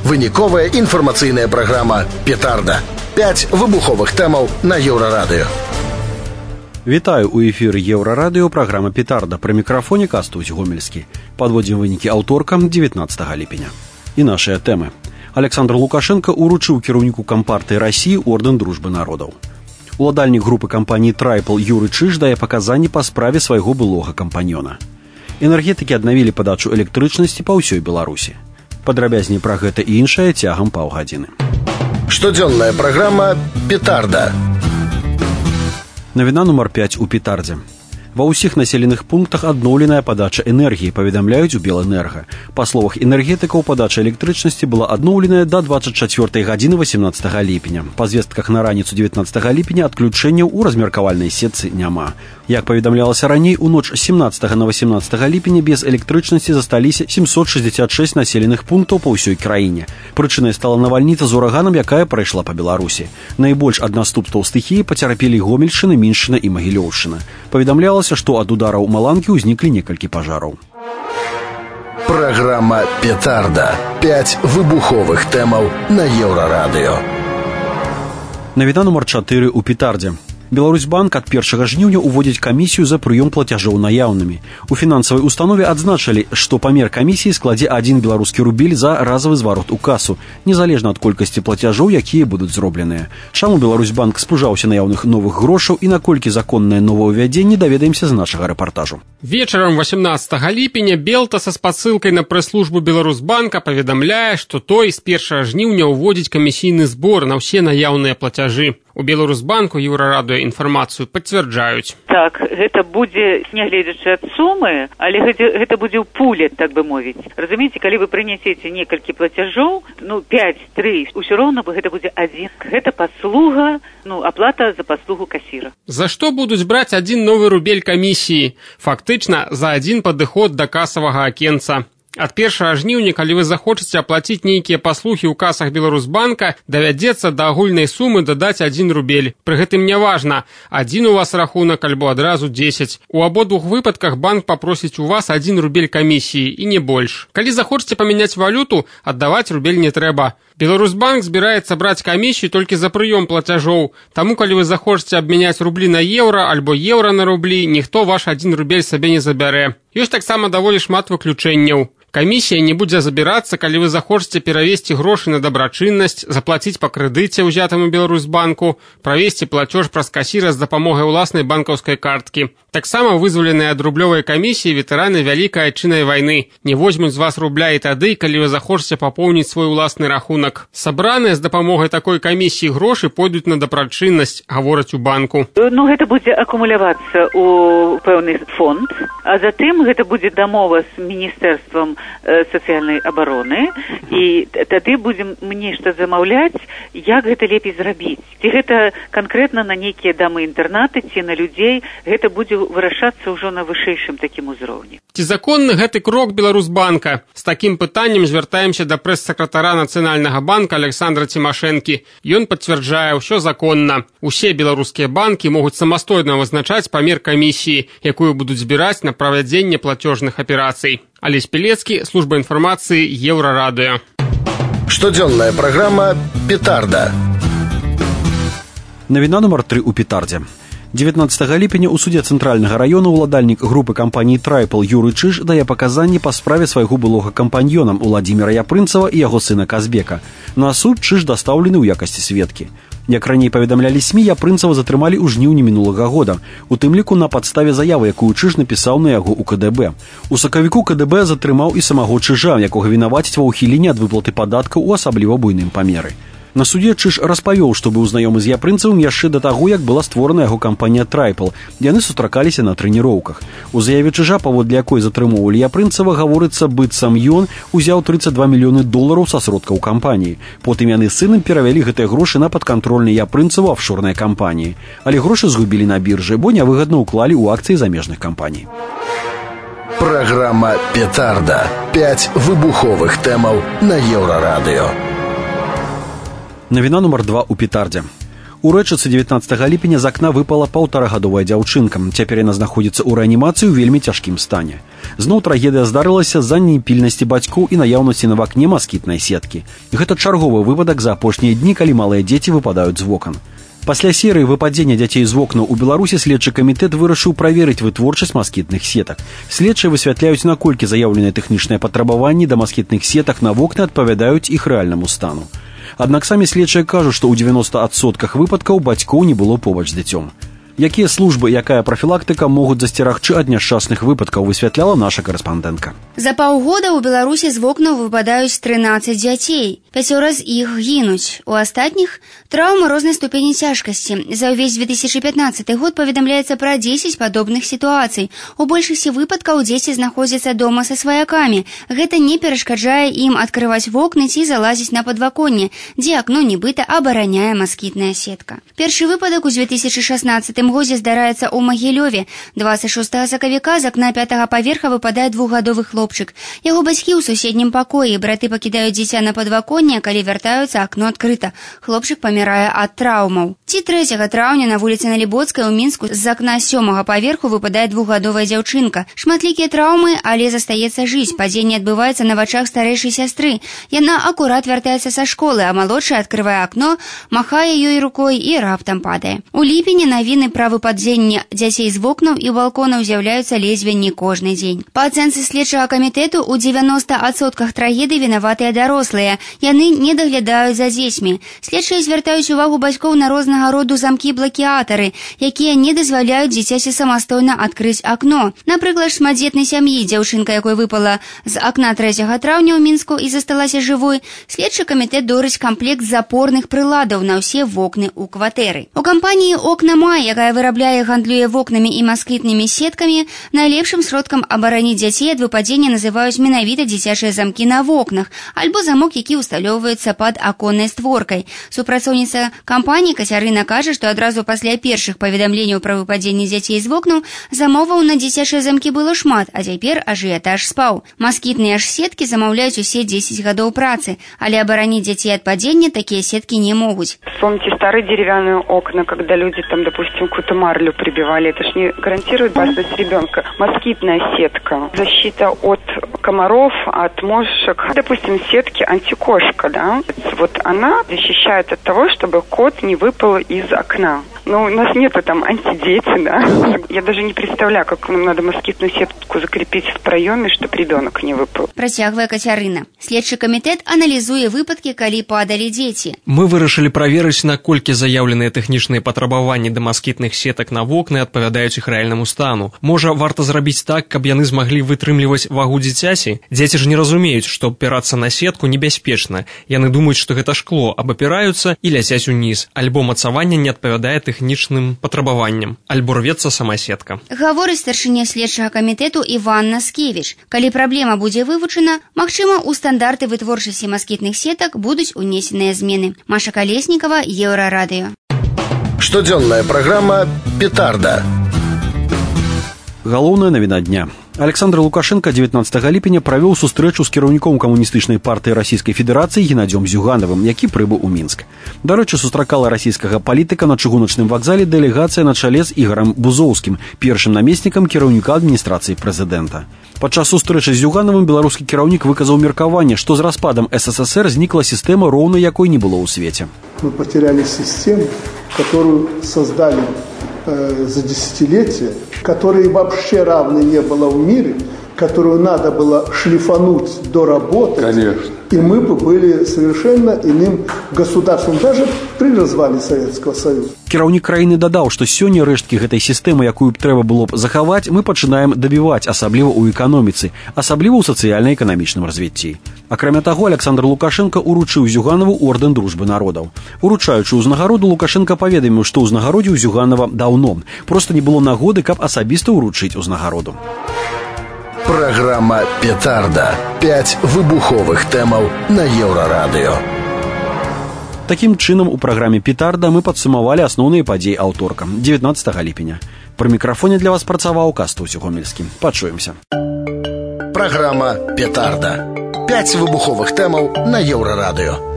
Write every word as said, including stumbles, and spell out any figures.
Выніковая інфармацыйная праграма «Петарда». Пяць выбуховых тэмаў на Еўрарадыё. Вітаю, у эфіры Еўрарадыё, праграма «Петарда». Пры мікрафоне Кастусь Гомельскі. Падводзім вынікі аўторкам дзевятнаццатага ліпеня. І нашыя тэмы. Александр Лукашенко уручыў кіраўніку Кампартыі Расіі ордэн дружбы народаў. Уладальнік групы кампаніі «Трайпл» Юры Чыж дае паказанні па справе свайго былога кампаньёна. Энергетыкі аднавілі падачу электрычнасці па ўсёй Беларусі. Падрабязней пра гэта і іншае цягам паўгадзіны. Штодзённая праграма «Петарда». Навіна нумар пяць у «Петардзе». Ва ўсіх населеных пунктах адноўленая падача энергіі, паведамляюць у Белэнерга. Па словах энергетыкаў, падача электрычнасці была адноўленая да дваццаць чацвёртай гадзіны васемнаццатага ліпеня. Па звестках на раніцу дзевятнаццатага ліпеня адключэнняў у размеркавальнай сетцы няма. Як паведамлялася раней, у ноч сямнаццатага на васемнаццатага ліпеня без электрычнасці засталіся сямсот шэсцьдзесят шэсць населеных пунктаў па ўсёй краіне. Прычынай стала навальніца з ураганам, якая прайшла па Беларусі. Найбольш ад наступстваў стыхіі пацярпелі Гомельшчына, Міншчына і Магілёўшчына. Паведамлялася, што ад удараў маланкі ўзніклі некалькі пажараў. Праграма «Петарда». Пяць выбуховых тэмаў на Еўрарадыё. Навіна нумар чатыры у «Петардзе». Беларусьбанк ад першага жніўня уводзіць камісію за прыём плацяжоў наяўнымі. У фінансавай установе адзначылі, што памер камісіі складзе адзін беларускі рубель за разавы зварот у касу, незалежна ад колькасці плацяжоў, якія будуць зробленыя. Чаму Беларусьбанк спужаўся наяўных новых грошаў і наколькі законнае новаўвядзенне, даведаемся з нашага рэпартажу. Вечарам васемнаццатага ліпеня Белта са спасылкай на прэс-службу Беларусьбанка паведамляе, што той з першага жніўня ўводзіць камісійны збор на ўсе наяўныя плацяжы. У Беларусьбанку Еўрарадыё інфармацыю пацвярджаюць. Так, гэта будзе, нягледзячы ад сумы, але гэта, гэта будзе ў пуле, так бы мовіць. Разумееце, калі вы прынясеце некалькі плацяжоў, ну, пяць, тры, усё роўна гэта будзе адзін. Гэта паслуга, ну, аплата за паслугу касіра. За што будуць браць адзін новы рубель камісіі? Фактычна, за адзін падыход да касавага акенца. Ад першага жніўня, калі вы захочаце аплаціць нейкія паслугі ў касах Беларусьбанка, давядзецца да агульнай сумы дадаць адзін рубель. Пры гэтым няважна, адзін у вас рахунак альбо адразу дзесяць. У абодвух выпадках банк папросіць у вас адзін рубель камісіі і не больш. Калі захочаце памяняць валюту, аддаваць рубель не трэба. Беларусьбанк збіраецца браць камісію толькі за прыём плацяжоў. Таму, калі вы захочаце абмяняць рублі на еўра альбо еўра на рублі, ніхто ваш адзін рубель сабе не забярэ. Ёсць таксама даволі шмат выключэнняў. Камісія не будзе забірацца, калі вы захочаце перавесці грошы на дабрачыннасць, заплаціць па крэдыце, узятаму Беларусьбанку, правесці плацёж праз касіра з дапамогай уласнай банкаўскай карткі. Таксама вызваленыя ад рублёвай камісіі ветэраны Вялікай Айчыннай вайны не возьмуць з вас рубля і тады, калі вы захочаце папоўніць свой уласны рахунак. Сабраныя з дапамогай такой камісіі грошы пойдуць на дабрачыннасць, гавораць у банку. Ну, гэта будзе акумулявацца ў пэўны фонд, а затым гэта будзе дамова з міністэрствам сацыяльнай абароны, і тады будзем мне што замаўляць, як гэта лепей зрабіць. Ці гэта канкрэтна на нейкія дамы-інтэрнаты, ці на людзей, гэта будзе вырашацца ўжо на вышэйшым такім узроўні. Ці законны гэты крок Беларусьбанка? З такім пытаннем звяртаемся да прэс-сакратара Нацыянальнага банка Александра Цімашэнкі. Ён пацвярджае, ўсё законна. Усе беларускія банкі могуць самастойна вызначаць памер камісіі, якую будуць збіраць на правядзенне плацёжных аперацый. Алесь Пелецкі, служба інфармацыі Еўрарадыё. Штодзённая праграма «Петарда». Навіна нумар тры у «Петардзе». дзевятнаццатага ліпеня ў судзе цэнтральнага раёна ўладальнік групы кампаніі «Трайпл» Юры Чыж дае паказанні па справе свайго былога кампаньёнам Уладзіміра Япрынцава і яго сына Казбека. На суд Чыж дастаўлены ў якасці сведкі. Як раней паведамлялі СМІ, Япрынцава затрымалі ў жніўні мінулага года, у тым ліку на падставе заявы, якую Чыж напісаў на яго ў КДБ. У сакавіку КДБ затрымаў і самого Чыжа, якога вінаваціць ва ўхіленні ад выплаты падаткаў у асабліва буйным памеры. На суде Чыж распавёў, што быў знаёмы з Япрынцавым яшчэ да таго, як была створана яго кампанія «Трайпл». Яны сустракаліся на трэніроўках. У заяве Чыжа, паводле якой затрымоўвалі Япрынцава, гаворыцца, быццам ён узяў трыццаць два мільёны долараў са сродкаў кампаніі. Потым яны з сынам перавялі гэтыя грошы на падкантрольныя Япрынцаву афшорныя кампаніі. Але грошы згубілі на біржы, бо нявыгадна ўклалі ў акцыі замежных кампаній. Праграма «Петарда». Пяць выбуховых тэмаў на Еўрарадыё. Навіна нумар два у «Петардзе». У рэчыцы дзевятнаццатага ліпеня з акна выпала паўтарагадовая дзяўчынка. Цяпер яна знаходзіцца ў рэанімацыі ў вельмі цяжкім стане. Зноў трагедыя здарылася з-за непільнасці бацькоў і наяўнасці на вакне маскітнай сеткі. Гэта чарговы выпадак за апошнія дні, калі малыя дзеці выпадаюць з вокон. Пасля серыі выпадзення дзяцей з вокнаў у Беларусі следчы камітэт вырашыў праверыць вытворчасць маскітных сетак. Следчыя высвятляюць, наколькі заяўленыя тэхнічныя патрабаванні да маскітных сетак на вокны адпавядаюць іх рэальнаму стану. Аднак самі следчыя кажуць, што ў дзевяноста адсотках выпадкаў бацькоў не было побач з дзіцём. Якія службы, якая прафілактыка могуць засцерагчы ад няшчасных выпадкаў, высвятляла наша карэспандэнтка. За паўгода ў Беларусі з вокнаў выпадаюць трынаццаць дзяцей. Пяцёра з іх гінуць. У астатніх траўмы рознай ступені цяжкасці. За ўвесь две тысячы пятнаццаты год паведамляецца пра дзесяць падобных сітуацый. У большасці выпадкаў дзеці знаходзяцца дома са сваякамі. Гэта не перашкаджае ім адкрываць вокны ці залазіць на падваконне, дзе акно нібыта абараняе маскітная сетка. Першы выпадак у две тысячы шаснаццатым годзе здараецца ў Магілёве. дваццаць шостага сакавіка з акна пятага паверха выпадае двухгадовы хлопчык. Яго бацькі ў суседнім пакоі. Браты пакідаюць дзіця на падваконне, калі вяртаюцца, акно адкрыта. Хлопчык памірае ад траўмаў. Ці трэцяга траўня на вуліцы Налібоцкай у Мінску з акна сёмага паверху выпадае двухгадовая дзяўчынка. Шматлікія траўмы, але застаецца жыць. Падзенне адбываецца на вачах старэйшай сястры. Яна акурат вяртаецца са школы, а малодшая адкрывае акно, махае ёй рукой і раптам падае. У ліпені навіны пра выпадзенне дзяцей з вокнаў і балконаў з'яўляюцца ледзьве не кожны дзень. Па ацэнцы следчага камітэту, у дзевяноста адсотках трагедый вінаватыя дарослыя. Яны не даглядаюць за дзецьмі. Следчыя звяртаюць увагу бацькоў на рознага роду замкі-блакіатары, якія не дазваляюць дзіцяці самастойна адкрыць акно. Напрыклад, шматдзетнай сям'і, дзяўчынка якой выпала з акна трэцяга траўня ў Мінску і засталася жывой, следчы камітэт дорыць камплект запорных прыладаў на ўсе вокны ў кватэры. У кампаніі «Окна Май», якая вырабляе і гандлюе вокнамі і маскітнымі сеткамі, найлепшым сродкам абараніць дзяцей ад выпадзення называюць менавіта дзіцячыя замкі на вокнах альбо замок, які ўсталёўваецца пад аконнай створкай. Супрацоўніца кампаніі Кацярына кажа, што адразу пасля першых паведамленняў пра выпадзенне дзяцей з вокнаў замоваў на дзіцячыя замкі было шмат, а цяпер ажыятаж спаў. Маскітныя ж сеткі замаўляюць усе дзесяць гадоў працы, але абараніць дзяцей ад падзення такія сеткі не могуць. Вспомните старые деревянные окна, когда люди там, допустим, какую-то марлю прибивали. Это ж не гарантирует безопасность ребенка. Москитная сетка, защита от комаров, от мошек. Допустим, сетки антикошка, да? Вот она защищает от того, чтобы кот не выпал из окна. Ну, у нас нету там антидети, да? Я даже не представляю, как нам надо москитную сетку закрепить в проеме, чтобы ребенок не выпал. Працягвае Кацярына. Следчы камітэт аналізуе выпадкі, калі падалі дзеці. Мы вырашылі праверыць, наколькі заяўленыя тэхнічныя патрабаванні да маскітных сетак на вокны адпавядаюць іх рэальнаму стану. Можа, варта зрабіць так, каб яны змаглі вытрымліваць вагу дзіцяці? Дзеці ж не разумеюць, што абпірацца на сетку небяспечна. Яны думаюць, што гэта шкло, абапіраюцца і ляцяць уніз. Альбо мацаванне не адпавядае тэхнічным патрабаванням, альбо рвецца сама сетка. Гаворыць старшыня следчага камітэту Іван Наскевіч. Калі праблема будзе вывучана, магчыма, у стандарты вытворчасці маскітных сетак будуць унесеныя змены. Маша Калеснікава, Еўрарадыё. Штодзённая праграма «Петарда». Галоўная навіна дня. Александр Лукашенко дзевятнаццатага ліпеня правёў сустрэчу з кіраўніком камуністычнай партыі Расійскай Федэрацыі Геннадзём Зюганавым, які прыбыў у Мінск. Дарэчы, сустракала расійскага палітыка на чыгуначным вакзале дэлегацыя на чале з Ігорам Бузоўскім, першым намеснікам кіраўніка адміністрацыі прэзідэнта. Падчас сустрэчы з Зюганавым беларускі кіраўнік выказаў меркаванне, што з распадам СССР знікла сістэма, роўна якой не было ў свеце. Мы потеряли систему, которую создали э, за десятилетия, которой вообще равной не было в мире, которую надо было шлифануть, доработать. Конечно. И мы бы были совершенно иным государством, даже при развале Советского Союза. Кіраўнік краіны дадаў, што сёння рэшткі гэтай сістэмы, якую б трэба было б захаваць, мы пачынаем дабіваць, асабліва ў эканоміцы, асабліва ў сацыяльна-эканамічным развіцці. Акрамя таго, Александр Лукашенко уручыў Зюганаву ордэн дружбы народаў. Уручаючы ўзнагароду, Лукашенко паведаміў, што ўзнагародзіў Зюганава даўно. Проста не было нагоды, каб асабіста ўручыць узнагароду. Программа «Петарда». Пять выбуховых тэмаў на Еўрарадыё. Такім чынам, у праграме «Петарда» мы падсумавалі асноўныя падзеі аўторка, дзевятнаццатага ліпеня. Пры мікрафоне для вас працаваў Кастусь Гомельскі. Пачуемся. Программа «Петарда». Пять выбуховых тэмаў на Еўрарадыё.